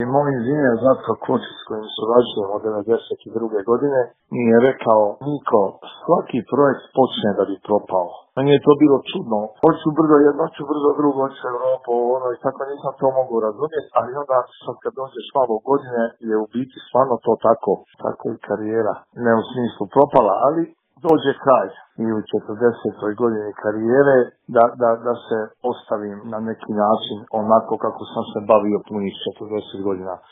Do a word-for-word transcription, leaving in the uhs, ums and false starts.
I moj inženjer Zlatko Kočić s kojim surađujemo od devedeset druge godine mi je rekao: Niko, svaki projekt počne da bi propao. Meni je to bilo čudno. Hoću brzo jedno, hoću brzo drugo, hoću Evropu, ono i tako nisam to mogu razumjeti, ali onda sad kad dođeš malo godine je u biti stvarno to tako. Tako i karijera. Ne u smislu propala, ali dođe kraj i u četrdesetoj godini karijere da, da, da se ostavim na neki način onako kako sam se bavio punih četrdeset godina.